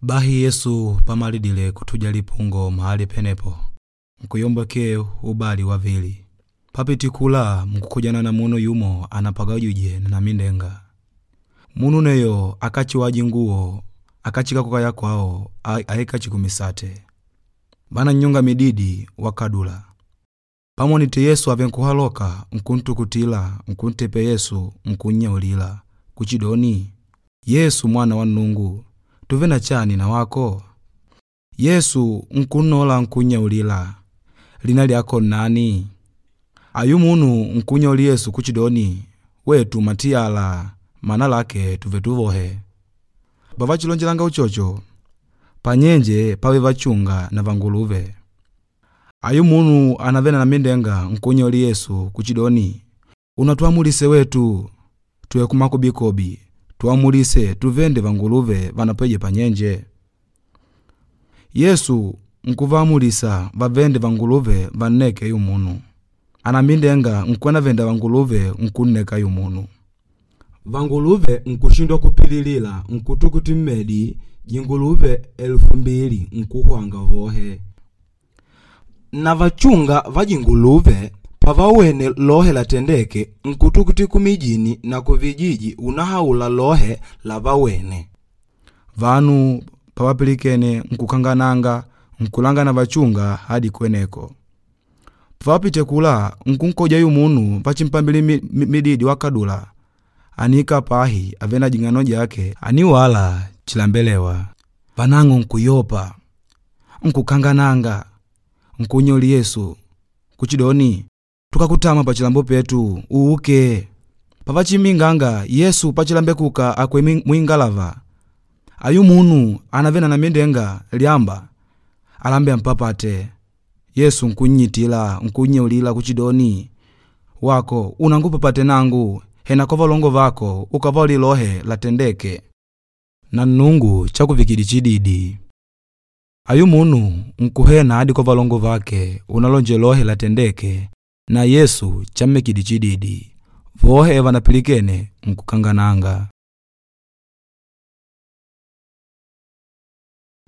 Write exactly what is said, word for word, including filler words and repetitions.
Bahi Yesu pamalidile kutuja lipungo mahali penepo, nkuyombokee ubali wavili. Papiti kula nkukojana na munu yumo anapagajije na namindenga. Munu neyo akachiwaji nguwo akachika kukaya kwao aikachi kumisate. Vanannyonga mididi wakadula. Pamonite Yesu ave nkuhaloka nkuntukutila nkuntepe Yesu nkunnyaulila kuchidoni, Yesu mwana wa Nnungu, tuve na chani na wako? Yesu nkunnola nkunnyaulila, lina lyako nnani? Ayu munu nkunnyaulila Yesu kuchidoni, wetu matiyala, mana lake tuve tuvohe. Pavachilonjelanga uchocho, panyenje pave vachunga na vanguluve. Ayu munu anavele na namindenga nkunnyaulila Yesu kuchidoni, unatwamulise wetu tuye kumakobikobi tuamulise tuvende vanguluve vanapweje panyenje. Yesu nkuvaamulisa vavende vanguluve vanneke ayu munu. Anamindenga nkwenavenda vanguluve nkunneka ayu munu. Vanguluve nkushindwa kupililila nkutukuti mmedi jinguluve elufu mbili nkuhwanga vohe. Na vachunga va jinguluve pavawene lohe latendeke nkutukuti kumijini na kuvijiji unahaula lohe lavawene. Vanu pavapilikene nkukangananga nkulanga na vachunga hadi kweneko. Pavapite kula nkunkoja ayu munu vachimpambile mididi wakadula aniikala pahi avele na jing'ano jake aniwala chilambelewa. Vanang'o nkuyopa nkukangananga nkunnyaulila Yesu kuchidoni, tukakutama pachilambo petu uuke. Pavachimbinganga Yesu pachilambekuka akwele muingalava ayu munu anavele na namindenga lyamba alambe ampapate. Yesu nkunnyitila nkunnyaulila kuchidoni, wako unangupapate nangu hena kwa valongo vako ukavaulile lohe latendeke. Na Nnungu chakuvikidile chididi. Ayu munu nkuhena hadi kwa valongo vake unalonjela lohe latendeke na Yesu chammikidile chididi. Vohe vanapilikene nkukangananga.